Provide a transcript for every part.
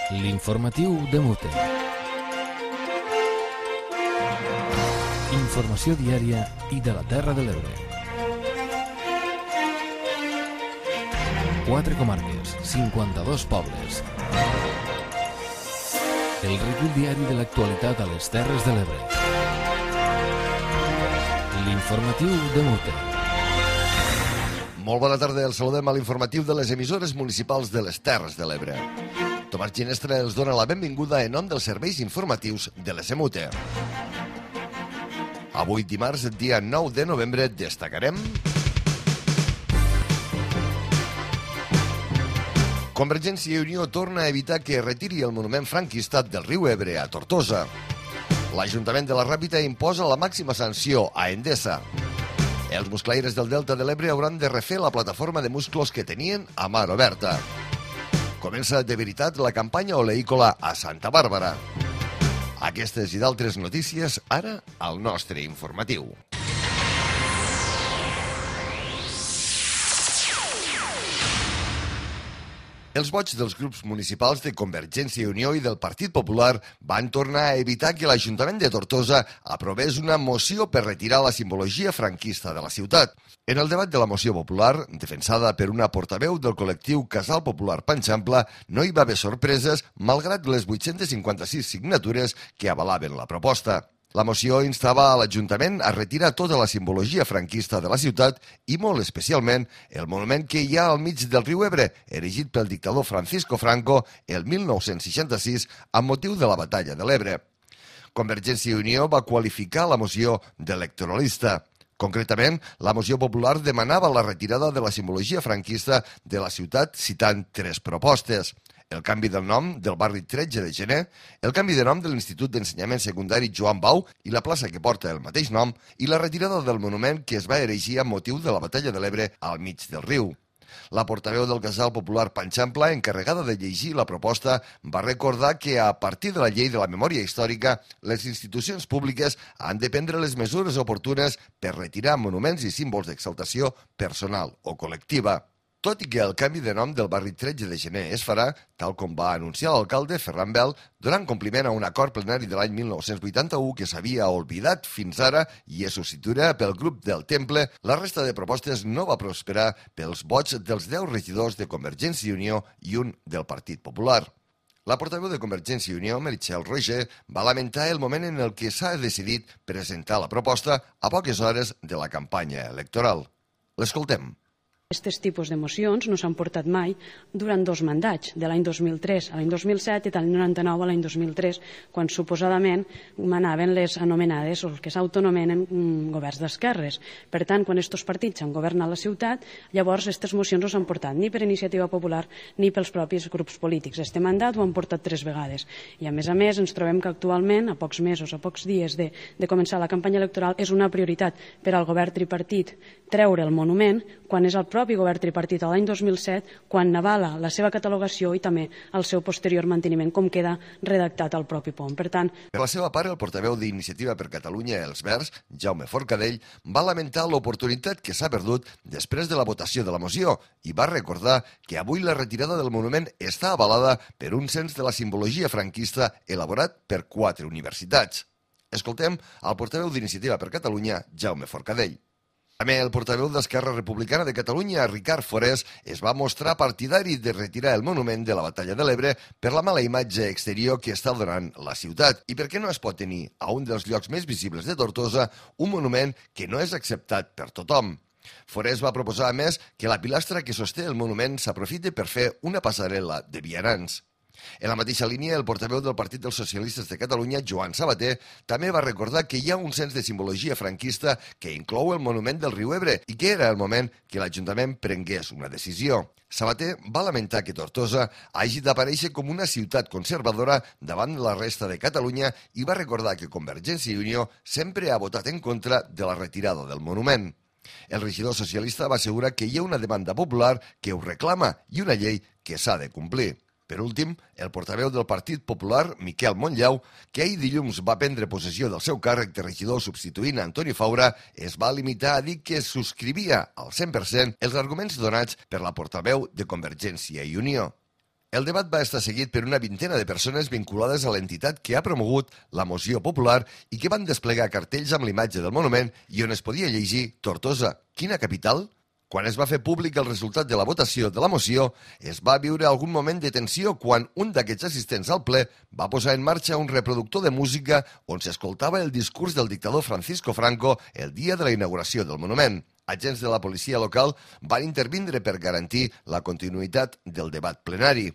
L'informatiu de Mute. Informació diària i de la Terra de l'Ebre. 4 comarques, 52 pobles. El recull diari de l'actualitat a les Terres de l'Ebre. L'informatiu de Mute. Molt bona tarda, el saludem a l'informatiu de les emissores municipals de les Terres de l'Ebre. Tomàs Ginestra els dona la benvinguda en nom dels serveis informatius de l'ESMUTE. Avui dimarts, dia 9 de novembre, destacarem... Convergència i Unió torna a evitar que retiri el monument franquista del riu Ebre a Tortosa. L'Ajuntament de la Ràpita imposa la màxima sanció a Endesa. Els musclaires del Delta de l'Ebre hauran de refer la plataforma de musclos que tenien a mar oberta. Comença de veritat la campanya oleícola a Santa Bàrbara. Aquestes i d'altres notícies ara al nostre informatiu. Els vots dels grups municipals de Convergència i Unió i del Partit Popular van tornar a evitar que l'Ajuntament de Tortosa aprovés una moció per retirar la simbologia franquista de la ciutat. En el debat de la moció popular, defensada per una portaveu del col·lectiu Casal Popular Panxampla, no hi va haver sorpreses malgrat les 856 signatures que avalaven la proposta. La moció instava a l'Ajuntament a retirar tota la simbologia franquista de la ciutat i molt especialment el monument que hi ha al mig del riu Ebre, erigit pel dictador Francisco Franco el 1966 amb motiu de la batalla de l'Ebre. Convergència i Unió va qualificar la moció d'electoralista. Concretament, la moció popular demanava la retirada de la simbologia franquista de la ciutat citant 3 propostes. El canvi del nom del barri 13 de gener, el canvi de nom de l'Institut d'Ensenyament Secundari Joan Bau i la plaça que porta el mateix nom i la retirada del monument que es va erigir amb motiu de la batalla de l'Ebre al mig del riu. La portaveu del Casal Popular Panxampla, encarregada de llegir la proposta, va recordar que a partir de la llei de la memòria històrica, les institucions públiques han de prendre les mesures oportunes per retirar monuments i símbols d'exaltació personal o col·lectiva. Tot i que el canvi de nom del barri 13 de gener es farà, tal com va anunciar l'alcalde Ferran Bel, donant compliment a un acord plenari de l'any 1981 que s'havia oblidat fins ara i es substituirà pel grup del Temple, la resta de propostes no va prosperar pels vots dels 10 regidors de Convergència i Unió i un del Partit Popular. La portaveu de Convergència i Unió, Meritxell Roger, va lamentar el moment en el que s'ha decidit presentar la proposta a poques hores de la campanya electoral. L'escoltem. Aquests tipus de mocions no s'han portat mai durant 2 mandats, de l'any 2003 a l'any 2007 i de l'any 99 a l'any 2003, quan suposadament manaven les anomenades o el que s'autonomenen governs d'esquerres. Per tant, quan aquests partits han governat la ciutat, llavors aquestes mocions no s'han portat ni per Iniciativa Popular ni pels propis grups polítics. Este mandat ho han portat 3 vegades. I a més ens trobem que actualment, a pocs mesos, a pocs dies de començar la campanya electoral, és una prioritat per al govern tripartit treure el monument quan és el propi govern tripartit a l'any 2007 quan avala la seva catalogació i també el seu posterior manteniment, com queda redactat al propi POM. Per tant... Per la seva part, el portaveu d'Iniciativa per Catalunya Els Verds, Jaume Forcadell, va lamentar l'oportunitat que s'ha perdut després de la votació de la moció i va recordar que avui la retirada del monument està avalada per un cens de la simbologia franquista elaborat per 4 universitats. Escoltem el portaveu d'Iniciativa per Catalunya, Jaume Forcadell. També el portaveu d'Esquerra Republicana de Catalunya, Ricard Forés, es va mostrar partidari de retirar el monument de la batalla de l'Ebre per la mala imatge exterior que està donant la ciutat i perquè no es pot tenir a un dels llocs més visibles de Tortosa un monument que no és acceptat per tothom. Forés va proposar, a més, que la pilastra que sosté el monument s'aprofiti per fer una passarel·la de vianants. En la mateixa línia, el portaveu del Partit dels Socialistes de Catalunya, Joan Sabater, també va recordar que hi ha un cens de simbologia franquista que inclou el monument del riu Ebre i que era el moment que l'Ajuntament prengués una decisió. Sabater va lamentar que Tortosa hagi d'aparèixer com una ciutat conservadora davant de la resta de Catalunya i va recordar que Convergència i Unió sempre ha votat en contra de la retirada del monument. El regidor socialista va assegurar que hi ha una demanda popular que ho reclama i una llei que s'ha de complir. Per últim, el portaveu del Partit Popular, Miquel Montllau, que ahir dilluns va prendre possessió del seu càrrec de regidor substituint Antoni Faura, es va limitar a dir que subscrivia al 100% els arguments donats per la portaveu de Convergència i Unió. El debat va estar seguit per una vintena de persones vinculades a l'entitat que ha promogut la moció popular i que van desplegar cartells amb l'imatge del monument i on es podia llegir Tortosa, quina capital? Quan es va fer públic el resultat de la votació de la moció, es va viure algun moment de tensió quan un d'aquests assistents al ple va posar en marxa un reproductor de música on s'escoltava el discurs del dictador Francisco Franco el dia de la inauguració del monument. Agents de la policia local van intervindre per garantir la continuïtat del debat plenari.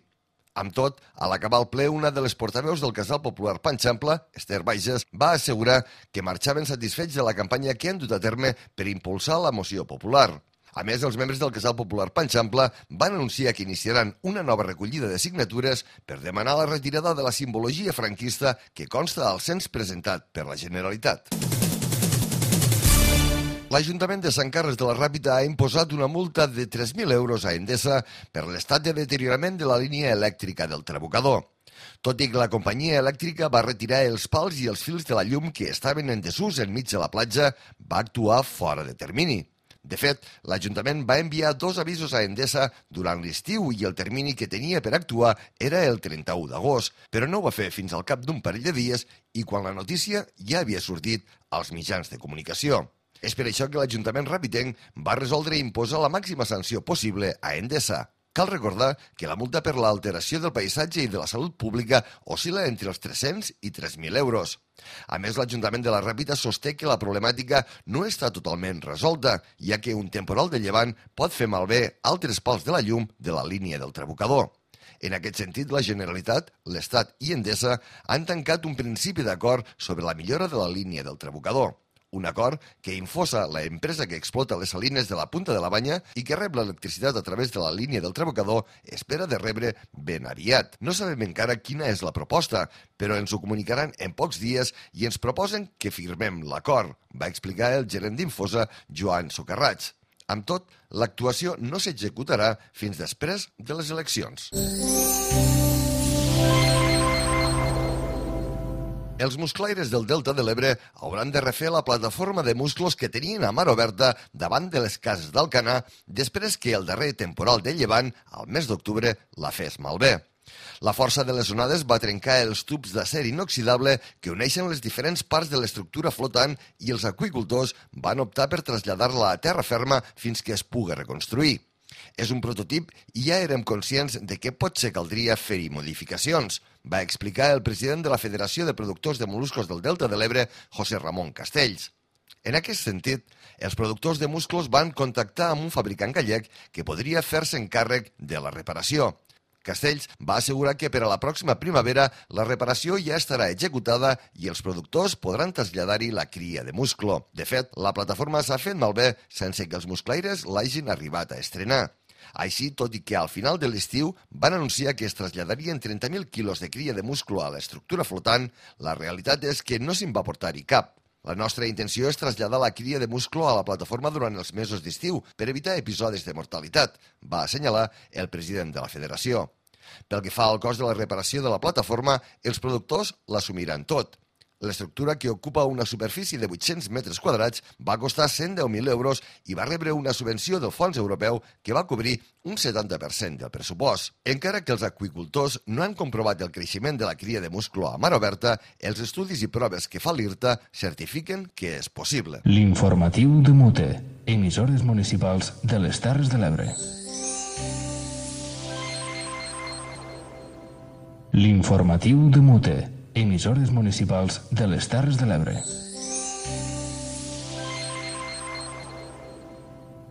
Amb tot, a l'acabar el ple, una de les portaveus del Casal Popular Panxampla, Esther Baixes, va assegurar que marxaven satisfets de la campanya que han dut a terme per impulsar la moció popular. A més, els membres del Casal Popular Panxampla van anunciar que iniciaran una nova recollida de signatures per demanar la retirada de la simbologia franquista que consta al cens presentat per la Generalitat. L'Ajuntament de Sant Carles de la Ràpita ha imposat una multa de 3.000 euros a Endesa per l'estat de deteriorament de la línia elèctrica del Trabucador. Tot i que la companyia elèctrica va retirar els pals i els fils de la llum que estaven en desús enmig de la platja, va actuar fora de termini. De fet, l'Ajuntament va enviar 2 avisos a Endesa durant l'estiu i el termini que tenia per actuar era el 31 d'agost, però no ho va fer fins al cap d'un parell de dies i quan la notícia ja havia sortit als mitjans de comunicació. És per això que l'Ajuntament ràpitenc va resoldre imposar la màxima sanció possible a Endesa. Cal recordar que la multa per l'alteració del paisatge i de la salut pública oscil·la entre els 300 i 3.000 euros. A més, l'Ajuntament de la Ràpita sosté que la problemàtica no està totalment resolta, ja que un temporal de llevant pot fer malbé altres pals de la llum de la línia del Trabucador. En aquest sentit, la Generalitat, l'Estat i Endesa han tancat un principi d'acord sobre la millora de la línia del Trabucador. Un acord que Infosa, la empresa que explota les salines de la Punta de la Banya i que rep l'electricitat a través de la línia del Trabucador, espera de rebre ben aviat. No sabem encara quina és la proposta, però ens ho comunicaran en pocs dies i ens proposen que firmem l'acord, va explicar el gerent d'Infosa, Joan Socarrats. Amb tot, l'actuació no s'executarà fins després de les eleccions. Els musclaires del Delta de l'Ebre hauran de refer la plataforma de musclos que tenien a mar oberta davant de les cases d'Alcanar després que el darrer temporal de llevant, al mes d'octubre, la fes malbé. La força de les onades va trencar els tubs d'acer inoxidable que uneixen les diferents parts de l'estructura flotant i els aqüicultors van optar per traslladar-la a terra ferma fins que es pugui reconstruir. És un prototip i ja érem conscients de que potser caldria fer-hi modificacions, va explicar el president de la Federació de Productors de Moluscos del Delta de l'Ebre, José Ramon Castells. En aquest sentit, els productors de musclos van contactar amb un fabricant gallec que podria fer-se càrrec de la reparació. Castells va assegurar que per a la pròxima primavera la reparació ja estarà executada i els productors podran traslladar-hi la cria de musclo. De fet, la plataforma s'ha fet malbé sense que els musclaires l'hagin arribat a estrenar. Així, tot i que al final de l'estiu van anunciar que es traslladarien 30.000 quilos de cria de musclo a l'estructura flotant, la realitat és que no se'n va portar-hi cap. La nostra intenció és traslladar la cria de musclo a la plataforma durant els mesos d'estiu per evitar episodis de mortalitat, va assenyalar el president de la federació. Pel que fa al cost de la reparació de la plataforma, els productors l'assumiran tot. L'estructura, que ocupa una superfície de 800 metres quadrats, va costar 110.000 euros i va rebre una subvenció del fons europeu que va cobrir un 70% del pressupost. Encara que els aqüicultors no han comprovat el creixement de la cria de musclo a mar oberta, els estudis i proves que fa l'IRTA certifiquen que és possible. L'informatiu de Mute, emissores municipals de les Terres de l'Ebre. L'informatiu de Mute, emissores municipals de les Terres de l'Ebre.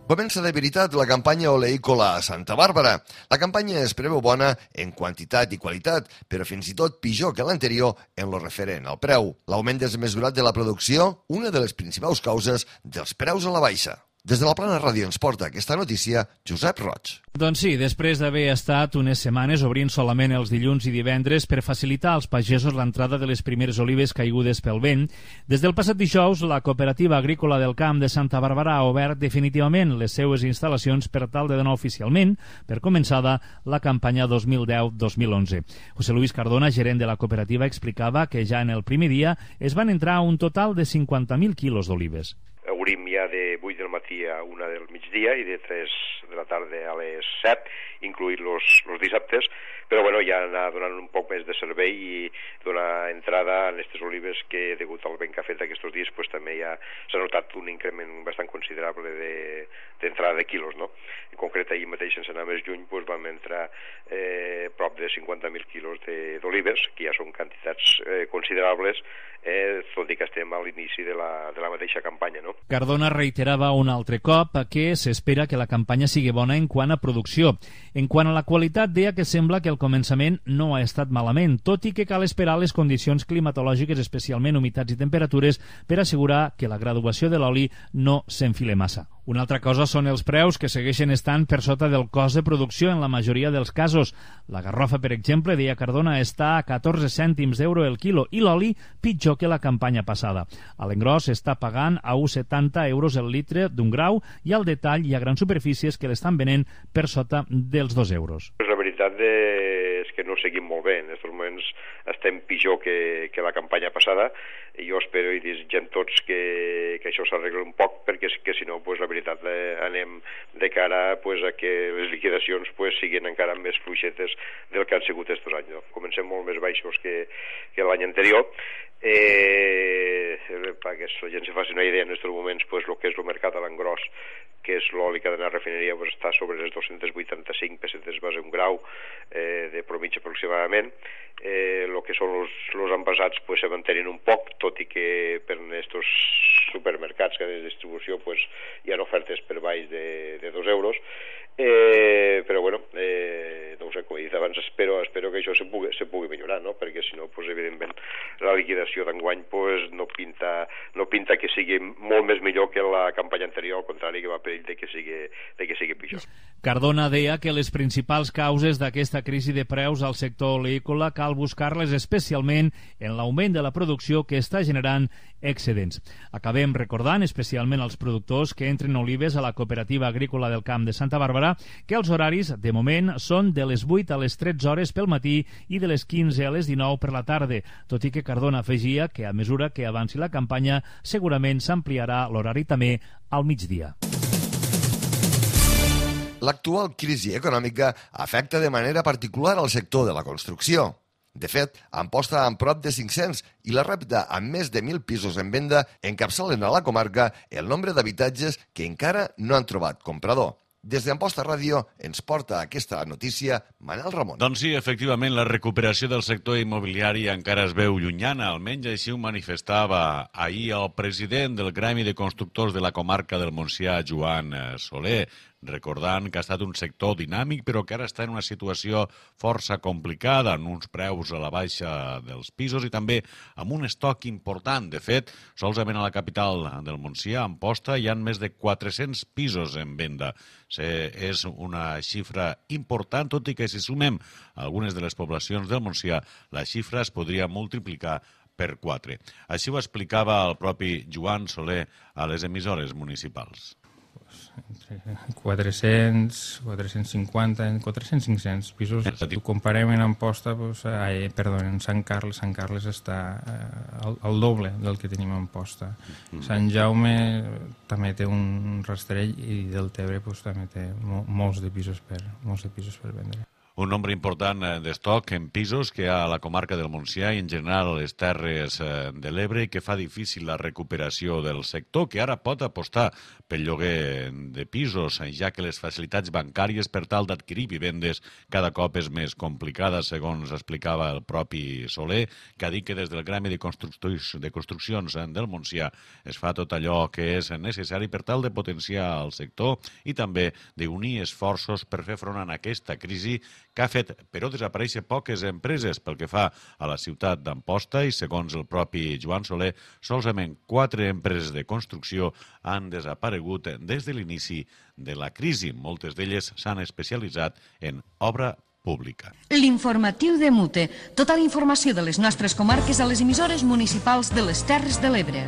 Comença de veritat la campanya oleícola a Santa Bàrbara. La campanya es preveu bona en quantitat i qualitat, però fins i tot pitjor que l'anterior en lo referent al preu. L'augment desmesurat de la producció, una de les principals causes dels preus a la baixa. Des de la Plana Ràdio ens porta aquesta notícia Josep Roig. Doncs sí, després d'haver estat unes setmanes obrint solament els dilluns i divendres per facilitar als pagesos l'entrada de les primeres olives caigudes pel vent, des del passat dijous la Cooperativa Agrícola del Camp de Santa Bàrbara ha obert definitivament les seues instal·lacions per tal de donar oficialment, per començada, la campanya 2010-2011. José Luis Cardona, gerent de la cooperativa, explicava que ja en el primer dia es van entrar un total de 50.000 quilos d'olives. Obrim ja de 8 del matí a 1 del migdia i de 3 de la tarda a les 7, incluït los dissabtes, però ja anar donant un poc més de servei i donar entrada a aquestes olives que, degut al vent que ha fet aquests dies, pues, també ja s'ha notat un increment bastant considerable d'entrada de quilos, no? En concret, ahir mateix, sense anar més lluny, pues, vam entrar prop de 50.000 quilos d'olives, que ja són quantitats considerables, tot i que estem a l'inici de la mateixa campanya, no? Cardona reiterava un altre cop que s'espera que la campanya sigui bona en quant a producció. En quant a la qualitat, deia que sembla que el començament no ha estat malament, tot i que cal esperar les condicions climatològiques, especialment humitats i temperatures, per assegurar que la graduació de l'oli no s'enfile massa. Una altra cosa són els preus, que segueixen estant per sota del cost de producció en la majoria dels casos. La garrofa, per exemple, deia Cardona, està a 14 cèntims d'euro el quilo i l'oli pitjor que la campanya passada. A l'engròs s'està pagant a 1,70 euros el litre d'un grau i al detall hi ha grans superfícies que l'estan venent per sota dels 2 euros. La veritat és que no seguim molt bé. En aquests moments estem pitjor que la campanya passada i jo espero i desitgem tots que això s'arregli un poc, perquè si no, pues, la veritat, anem de cara, pues, a que les liquidacions, pues, siguin encara més fluixetes del que han sigut aquests anys, no? Comencem molt més baixos que l'any anterior. Perquè la gent se faci una idea, en aquests moments, pues, el que és el mercat a l'engròs, que és l'oli que ha d'anar a refineria, pues, està sobre les 285 pessetes base un grau de promitja aproximadament. El que són els envasats, pues, se mantenen un poc, tot i que per aquests supermercats que de distribució, pues, hi ha ofertes per baix de 2 euros. Però bueno, no ho sé, com he dit abans, espero que això se pugui millorar, no? Perquè si no, pues, evidentment la liquidació d'enguany, pues, no pinta que sigui molt més millor que la campanya anterior, al contrari, que va perill de que sigui pitjor. Cardona deia que les principals causes d'aquesta crisi de preus al sector oleícola cal buscar-les especialment en l'augment de la producció que està generant excedents. Acabem recordant, especialment als productors que entren olives a la Cooperativa Agrícola del Camp de Santa Bàrbara, que els horaris, de moment, són de les 8 a les 13 hores pel matí i de les 15 a les 19 per la tarda, tot i que Cardona afegia que a mesura que avanci la campanya segurament s'ampliarà l'horari també al migdia. L'actual crisi econòmica afecta de manera particular al sector de la construcció. De fet, Amposta amb prop de 500 i la Ràpita amb més de 1.000 pisos en venda encapçalen a la comarca el nombre d'habitatges que encara no han trobat comprador. Des d'Amposta Ràdio ens porta aquesta notícia Manel Ramon. Doncs sí, efectivament, la recuperació del sector immobiliari encara es veu llunyana, almenys així ho manifestava ahir el president del Gremi de Constructors de la comarca del Montsià, Joan Soler, recordant que ha estat un sector dinàmic però que ara està en una situació força complicada, amb uns preus a la baixa dels pisos i també amb un estoc important. De fet, solament a la capital del Montsià, Amposta, hi ha més de 400 pisos en venda. És una xifra important, tot i que si sumem algunes de les poblacions del Montsià, la xifra es podria multiplicar per 4. Així ho explicava el propi Joan Soler a les emissores municipals. Entre 400, 450, 400-500 pisos. Si ho comparem en Amposta, en Sant Carles. Sant Carles està al doble del que tenim a Amposta. Sant Jaume també té un rastrell i Deltebre també té molts de pisos per vendre. Un nombre important d'estoc en pisos que hi ha a la comarca del Montsià i en general a les Terres de l'Ebre, que fa difícil la recuperació del sector, que ara pot apostar pel lloguer de pisos, ja que les facilitats bancàries per tal d'adquirir vivendes cada cop és més complicada, segons explicava el propi Soler, que ha dit que des del Gremi de Construccions del Montsià es fa tot allò que és necessari per tal de potenciar el sector i també d'unir esforços per fer front a aquesta crisi que ha fet, però, desaparèixer poques empreses pel que fa a la ciutat d'Amposta i, segons el propi Joan Soler, solament 4 empreses de construcció han desaparegut des de l'inici de la crisi. Moltes d'elles s'han especialitzat en obra pública. L'informatiu de Mute. Tota la informació de les nostres comarques a les emissores municipals de les Terres de l'Ebre.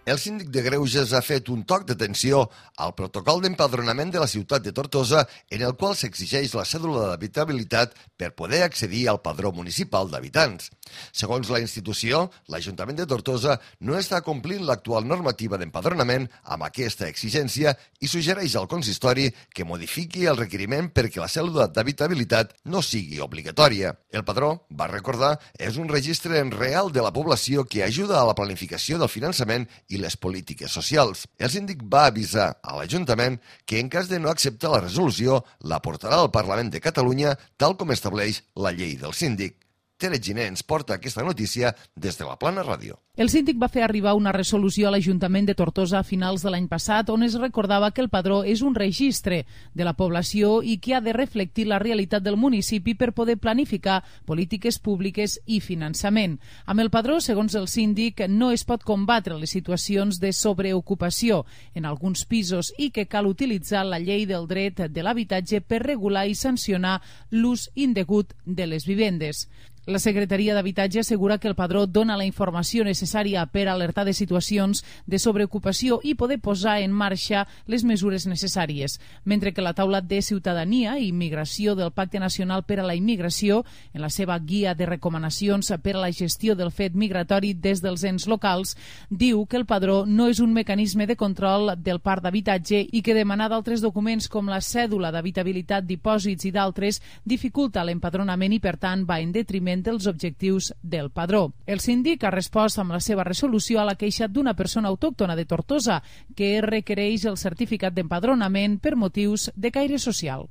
El síndic de Greuges ha fet un toc d'atenció al protocol d'empadronament de la ciutat de Tortosa en el qual s'exigeix la cèdula d'habitabilitat per poder accedir al padró municipal d'habitants. Segons la institució, l'Ajuntament de Tortosa no està complint l'actual normativa d'empadronament amb aquesta exigència i suggereix al consistori que modifiqui el requeriment perquè la cèdula d'habitabilitat no sigui obligatòria. El padró, va recordar, és un registre real de la població que ajuda a la planificació del finançament i les polítiques socials. El síndic va avisar a l'Ajuntament que en cas de no acceptar la resolució la portarà al Parlament de Catalunya tal com estableix la llei del síndic. Tere Giner ens porta aquesta notícia des de la Plana Ràdio. El síndic va fer arribar una resolució a l'Ajuntament de Tortosa a finals de l'any passat on es recordava que el padró és un registre de la població i que ha de reflectir la realitat del municipi per poder planificar polítiques públiques i finançament. Amb el padró, segons el síndic, no es pot combatre les situacions de sobreocupació en alguns pisos i que cal utilitzar la llei del dret de l'habitatge per regular i sancionar l'ús indegut de les vivendes. La Secretaria d'Habitatge assegura que el padró dona la informació necessària per alertar de situacions de sobreocupació i poder posar en marxa les mesures necessàries, mentre que la taula de Ciutadania i Immigració del Pacte Nacional per a la Immigració, en la seva guia de recomanacions per a la gestió del fet migratori des dels ens locals, diu que el padró no és un mecanisme de control del parc d'habitatge i que demanar d'altres documents com la cèdula d'habitabilitat, dipòsits i d'altres dificulta l'empadronament i, per tant, va en detriment dels objectius del padró. El síndic ha respost amb la seva resolució a la queixa d'una persona autòctona de Tortosa que requereix el certificat d'empadronament per motius de caire social.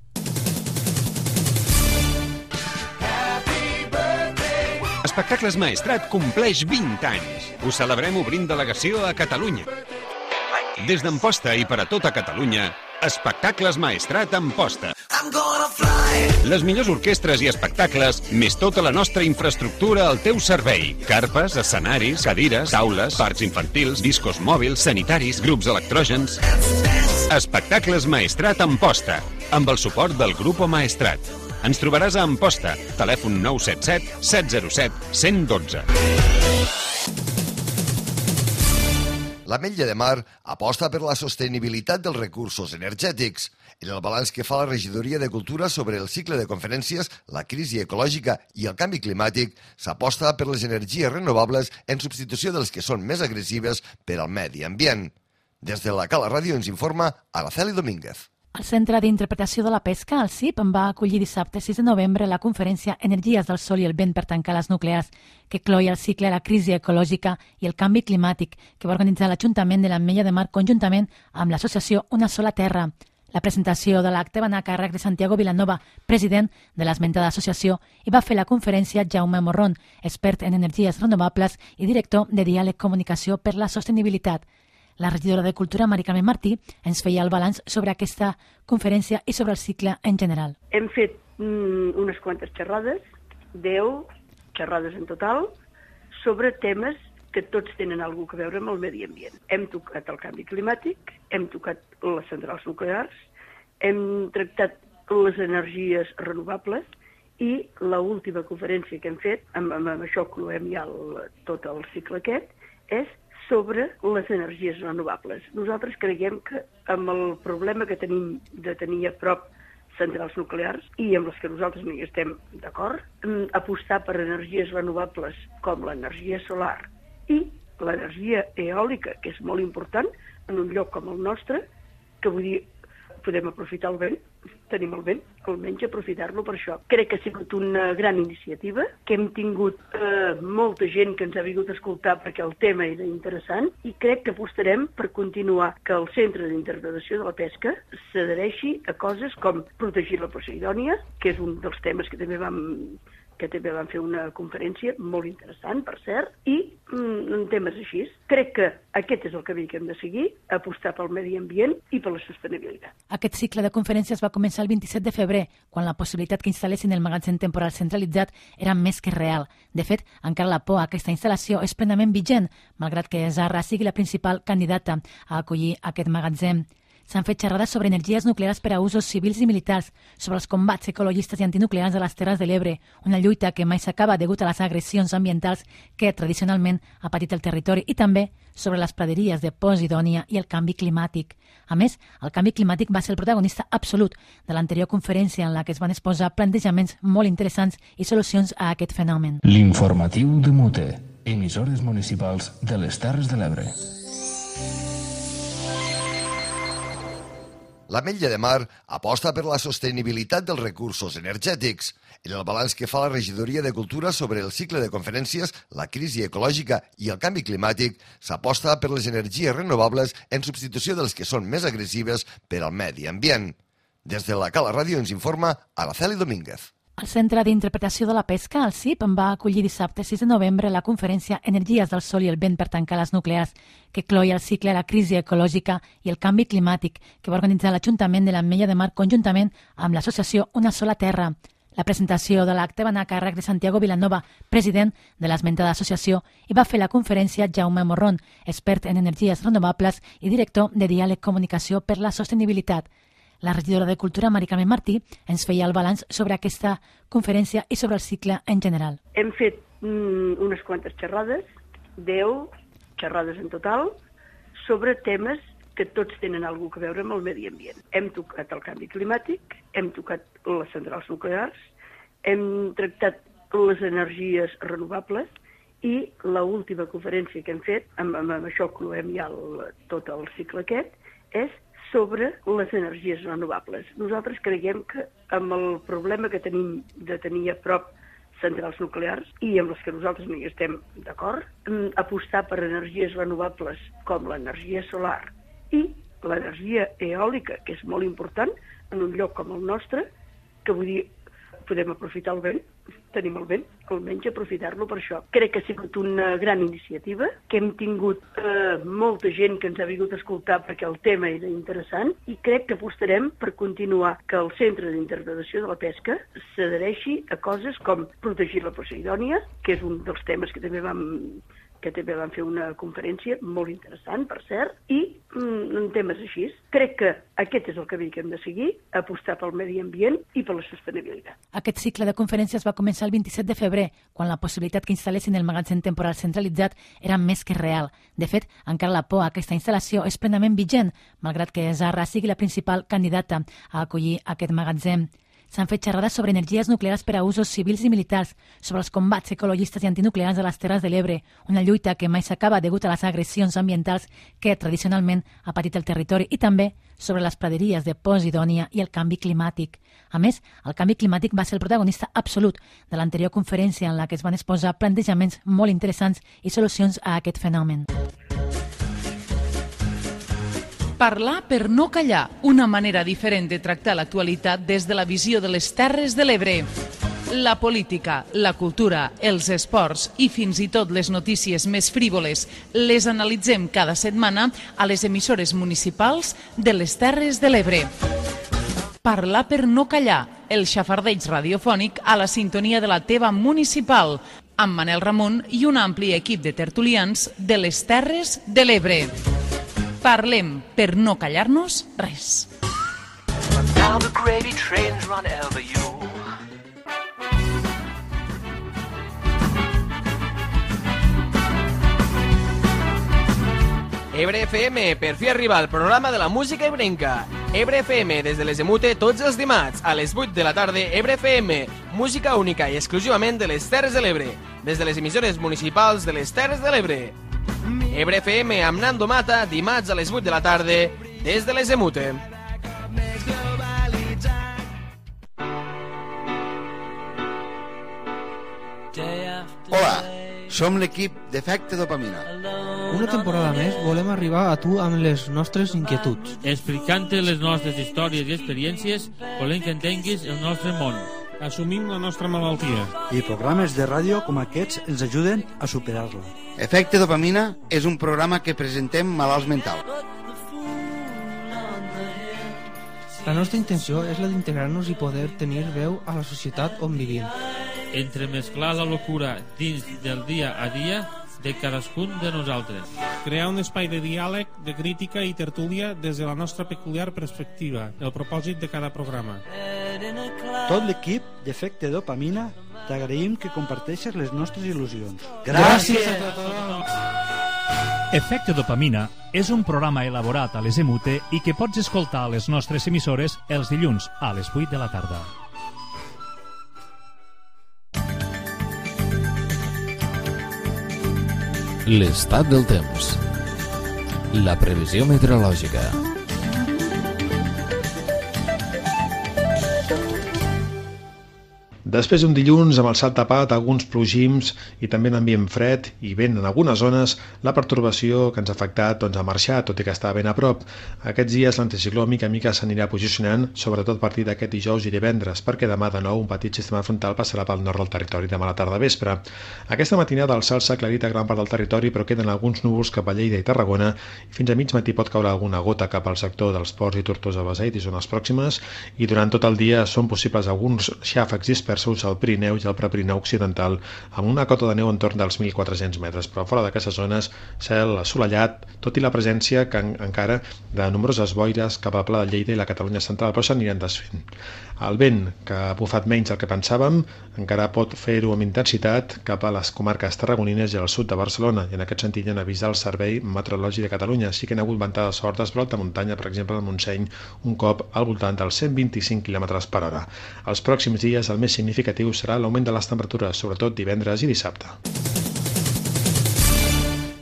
Espectacles Maestrat compleix 20 anys. Ho celebrem obrint delegació a Catalunya. Des d'Amposta i per a tota Catalunya, Espectacles Maestrat Amposta. Les millors orquestres i espectacles, més tota la nostra infraestructura al teu servei. Carpes, escenaris, cadires, taules, parcs infantils, discos mòbils, sanitaris, grups electrògens. Espectacles Maestrat Amposta, amb el suport del Grupo Maestrat. Ens trobaràs a Amposta, telèfon 977 707 112. L'Ametlla de Mar aposta per la sostenibilitat dels recursos energètics. En el balanç que fa la Regidoria de Cultura sobre el cicle de conferències, la crisi ecològica i el canvi climàtic, s'aposta per les energies renovables en substitució de les que són més agressives per al medi ambient. Des de la Cala Ràdio ens informa Araceli Domínguez. El Centre d'Interpretació de la Pesca, el CIP, va acollir dissabte 6 de novembre la conferència Energies del Sol i el Vent per tancar les nuclears, que cloïa el cicle de la crisi ecològica i el canvi climàtic, que va organitzar l'Ajuntament de l'Ametlla de Mar conjuntament amb l'associació Una Sola Terra. La presentació de l'acte va anar a càrrec de Santiago Vilanova, president de l'esmentada associació, i va fer la conferència Jaume Morrón, expert en energies renovables i director de Diàleg Comunicació per la Sostenibilitat. La regidora de Cultura, Mari Carmen Martí, ens feia el balanç sobre aquesta conferència i sobre el cicle en general. Hem fet unes quantes xerrades, 10 xerrades en total, sobre temes que tots tenen alguna cosa a veure amb el medi ambient. Hem tocat el canvi climàtic, hem tocat les centrals nuclears, hem tractat les energies renovables i l'última conferència que hem fet, amb això cloem ja tot el cicle aquest, és sobre les energies renovables. Nosaltres creiem que amb el problema que tenim de tenir a prop centrals nuclears i amb les que nosaltres no hi estem d'acord, apostar per energies renovables com l'energia solar i l'energia eòlica, que és molt important en un lloc com el nostre, que vull dir, podem aprofitar el vent, tenim el vent, almenys aprofitar-lo per això. Crec que ha sigut una gran iniciativa, que hem tingut molta gent que ens ha vingut a escoltar perquè el tema era interessant i crec que apostarem per continuar que el Centre d'Interpretació de la Pesca s'adhereixi a coses com protegir la Poseidònia, que és un dels temes que també vam fer una conferència molt interessant, per cert, i temes així. Crec que aquest és el camí que hem de seguir, apostar pel medi ambient i per la sostenibilitat. Aquest cicle de conferències va començar el 27 de febrer, quan la possibilitat que instal·lessin el magatzem temporal centralitzat era més que real. De fet, encara la por a aquesta instal·lació és plenament vigent, malgrat que Zahra sigui la principal candidata a acollir aquest magatzem. S'han fet xerrades sobre energies nuclears per a usos civils i militars, sobre els combats ecologistes i antinuclears a les Terres de l'Ebre, una lluita que mai s'acaba degut a les agressions ambientals que tradicionalment ha patit el territori, i també sobre les praderies de Posidònia i el canvi climàtic. A més, el canvi climàtic va ser el protagonista absolut de l'anterior conferència en la que es van exposar plantejaments molt interessants i solucions a aquest fenomen. L'informatiu de Mute, emissores municipals de les Terres de l'Ebre. L'Ametlla de Mar aposta per la sostenibilitat dels recursos energètics. En el balanç que fa la Regidoria de Cultura sobre el cicle de conferències, la crisi ecològica i el canvi climàtic, s'aposta per les energies renovables en substitució de les que són més agressives per al medi ambient. Des de la Cala Ràdio ens informa Araceli Domínguez. El Centre d'Interpretació de la Pesca, el CIP, va acollir dissabte 6 de novembre la conferència Energies del Sol i el Vent per tancar les nuclears, que cloia el cicle La crisi ecològica i el canvi climàtic, que va organitzar l'Ajuntament de l'Ametlla de Mar conjuntament amb l'associació Una Sola Terra. La presentació de l'acte va anar a càrrec de Santiago Vilanova, president de l'esmentada associació, i va fer la conferència Jaume Morrón, expert en energies renovables i director de Diàleg Comunicació per la Sostenibilitat. La regidora de Cultura, Mari Carmen Martí, ens feia el balanç sobre aquesta conferència i sobre el cicle en general. Hem fet unes quantes xerrades, 10 xerrades en total, sobre temes que tots tenen alguna cosa a veure amb el medi ambient. Hem tocat el canvi climàtic, hem tocat les centrals nuclears, hem tractat les energies renovables i l'última conferència que hem fet, amb això cloem ja tot el cicle aquest, és sobre les energies renovables. Nosaltres creiem que amb el problema que tenim de tenir a prop centrals nuclears i amb les que nosaltres no hi estem d'acord, apostar per energies renovables com l'energia solar i l'energia eòlica, que és molt important en un lloc com el nostre, que vull dir, podem aprofitar el vent, tenim el vent, almenys aprofitar-lo per això. Crec que ha sigut una gran iniciativa, que hem tingut molta gent que ens ha vingut a escoltar perquè el tema era interessant i crec que apostarem per continuar que el Centre d'Interpretació de la Pesca s'adhereixi a coses com protegir la Posidònia, que és un dels temes que també vam fer una conferència molt interessant, per cert, i en temes així. Crec que aquest és el camí que hem de seguir, apostar pel medi ambient i per la sostenibilitat. Aquest cicle de conferències va començar el 27 de febrer, quan la possibilitat que instal·lessin el magatzem temporal centralitzat era més que real. De fet, encara la por a aquesta instal·lació és plenament vigent, malgrat que Zarra sigui la principal candidata a acollir aquest magatzem. S'han fet xerrades sobre energies nuclears per a usos civils i militars, sobre els combats ecologistes i antinuclears a les Terres de l'Ebre, una lluita que mai s'acaba degut a les agressions ambientals que tradicionalment ha patit el territori, i també sobre les praderies de Posidònia i el canvi climàtic. A més, el canvi climàtic va ser el protagonista absolut de l'anterior conferència en la que es van exposar plantejaments molt interessants i solucions a aquest fenomen. Parlar per no callar, una manera diferent de tractar l'actualitat des de la visió de les Terres de l'Ebre. La política, la cultura, els esports i fins i tot les notícies més frívoles les analitzem cada setmana a les emissores municipals de les Terres de l'Ebre. Parlar per no callar, el xafardeig radiofònic a la sintonia de la teva municipal, amb Manel Ramon i un ampli equip de tertulians de les Terres de l'Ebre. Parlem per no callar-nos res. Now the gravy trains run over you. Ebre FM, per fi arriba al programa de la música ebrenca. Ebre FM, des de les Emute, tots els dimarts, a les 8 de la tarda, Ebre FM, música única i exclusivament de les Terres de l'Ebre, des de les emissores municipals de les Terres de l'Ebre. Ebre FM amb Nando Mata, dimarts a les 8 de la tarda, des de les Emute. Hola, som l'equip d'Efecte Dopamina. Una temporada més volem arribar a tu amb les nostres inquietuds. Explicant-te les nostres històries i experiències, volem que entenguis el nostre món. Assumim la nostra malaltia. I programes de ràdio com aquests ens ajuden a superar-la. Efecte Dopamina és un programa que presentem malalts mentals. La nostra intenció és la d'integrar-nos i poder tenir veu a la societat on vivim. Entremesclar la locura dins del dia a dia de cadascun de nosaltres. Crear un espai de diàleg, de crítica i tertúlia des de la nostra peculiar perspectiva, el propòsit de cada programa. Tot l'equip d'Efecte Dopamina t'agraïm que comparteixes les nostres il·lusions. Gràcies a tothom! Efecte Dopamina és un programa elaborat a les EMUTE i que pots escoltar a les nostres emissores els dilluns a les 8 de la tarda. L'estat del temps. La previsió meteorològica. Després d'un dilluns amb el cel tapat, alguns plogims i també un ambient fred i vent en algunes zones, la pertorbació que ens ha afectat ha marxat, tot i que estava ben a prop. Aquests dies l'anticicló mica a mica s'anirà posicionant, sobretot a partir d'aquest dijous i divendres, perquè demà de nou un petit sistema frontal passarà pel nord del territori demà a la tarda vespre. Aquesta matinada el cel s'ha aclarit a gran part del territori, però queden alguns núvols cap a Lleida i Tarragona i fins a mig matí pot caure alguna gota cap al sector dels Ports i Tortosa, Beseit i zones pròximes, i durant tot el dia són possibles alguns xàfecs dispersos al Pirineu i al Prepirineu occidental amb una cota de neu entorn dels 1.400 metres, però fora d'aquestes zones cel assolellat, tot i la presència que encara de nombroses boires cap al Pla de Lleida i la Catalunya central, però s'aniran desfent. El vent, que ha bufat menys del que pensàvem, encara pot fer-ho amb intensitat cap a les comarques tarragonines i al sud de Barcelona, i en aquest sentit han avisat el Servei Meteorològic de Catalunya. Sí que han hagut ventades fortes per alta muntanya, per exemple al Montseny, un cop al voltant dels 125 km per hora. Els pròxims dies el més significatiu serà l'augment de les temperatures, sobretot divendres i dissabte.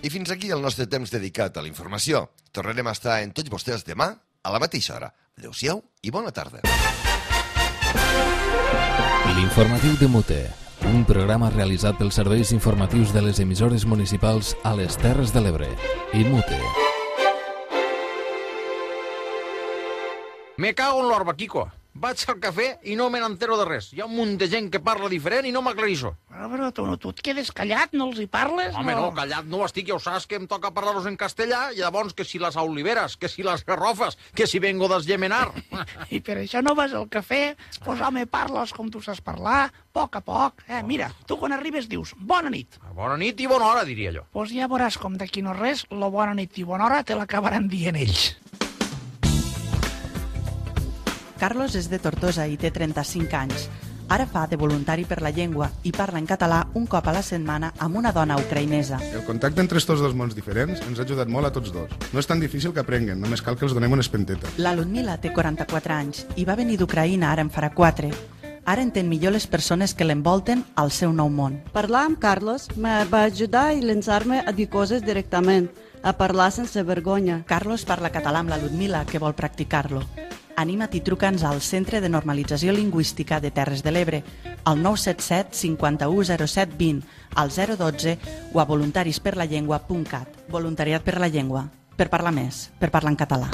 I fins aquí el nostre temps dedicat a la informació. Tornarem a estar en tots vostès demà a la mateixa hora. Adéu-siau i bona tarda. L'informatiu de Mute, un programa realitzat pels serveis informatius de les emissores municipals a les Terres de l'Ebre i Mute. Me cago en l'orba, Quico. Vaig al cafè i no me n'entero de res. Hi ha un munt de gent que parla diferent i no m'aclareixo. Però tu et quedes callat, no els hi parles? Home, no, callat no estic, ja ho saps que em toca parlar-los en castellà, i llavors que si les oliveres, que si les garrofes, que si vengo d'esgemenar. I per això no vas al cafè? Pues home, parles com tu saps parlar, a poc. Mira, tu quan arribes dius bona nit. Bona nit i bona hora, diria jo. Pues ja veuràs com d'aquí no res, la bona nit i bona hora te l'acabaran dient ells. Carlos és de Tortosa i té 35 anys. Ara fa de voluntari per la llengua i parla en català un cop a la setmana amb una dona ucraïnesa. El contacte entre estos dos mons diferents ens ha ajudat molt a tots dos. No és tan difícil que aprenguen, només cal que els donem una espenteta. La Ludmila té 44 anys i va venir d'Ucraïna ara en farà 4. Ara entén millor les persones que l'envolten al seu nou món. Parlar amb Carlos me va ajudar i llançar-me a dir coses directament, a parlar sense vergonya. Carlos parla català amb la Ludmila, que vol practicar-lo. Anima't i truca'ns al Centre de Normalització Lingüística de Terres de l'Ebre, al 977 51 07 20, al 012 o a voluntarisperlallengua.cat. Voluntariat per la llengua. Per parlar més, per parlar en català.